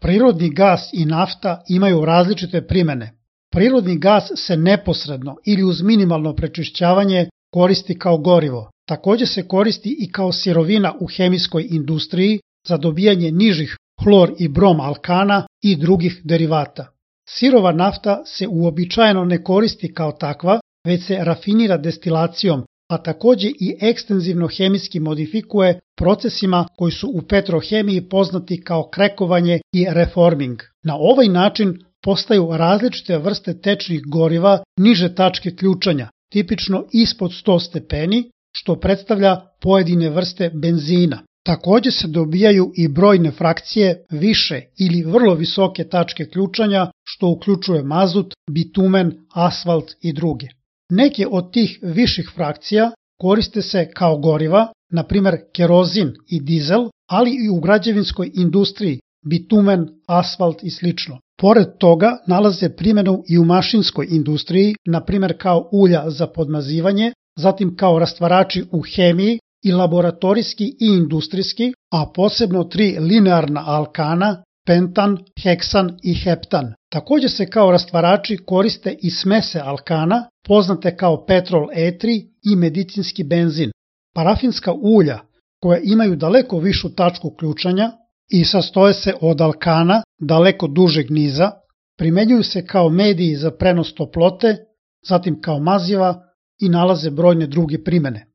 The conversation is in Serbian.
Prirodni gas i nafta imaju različite primene. Prirodni gas se neposredno ili uz minimalno prečišćavanje koristi kao gorivo. Takođe se koristi i kao sirovina u hemijskoj industriji za dobijanje nižih hlor i brom alkana i drugih derivata. Sirova nafta se uobičajeno ne koristi kao takva, već se rafinira destilacijom, a takođe i ekstenzivno hemijski modifikuje procesima koji su u petrohemiji poznati kao krekovanje i reforming. Na ovaj način postaju različite vrste tečnih goriva niže tačke ključanja, tipično ispod 100 stepeni, što predstavlja pojedine vrste benzina. Takođe se dobijaju i brojne frakcije više ili vrlo visoke tačke ključanja, što uključuje mazut, bitumen, asfalt i druge. Neke od tih viših frakcija koriste se kao goriva, na primjer kerozin i dizel, ali i u građevinskoj industriji, bitumen, asfalt i sl. Pored toga nalaze primjenu i u mašinskoj industriji, na primjer kao ulja za podmazivanje, zatim kao rastvarači u hemiji i laboratorijski i industrijski, a posebno 3 linearna alkana, pentan, heksan i heptan. Takođe se kao rastvarači koriste i smese alkana, poznate kao petrol E3 i medicinski benzin. Parafinska ulja, koja imaju daleko višu tačku ključanja i sastoje se od alkana daleko dužeg niza, primenjuju se kao mediji za prenos toplote, zatim kao maziva i nalaze brojne druge primene.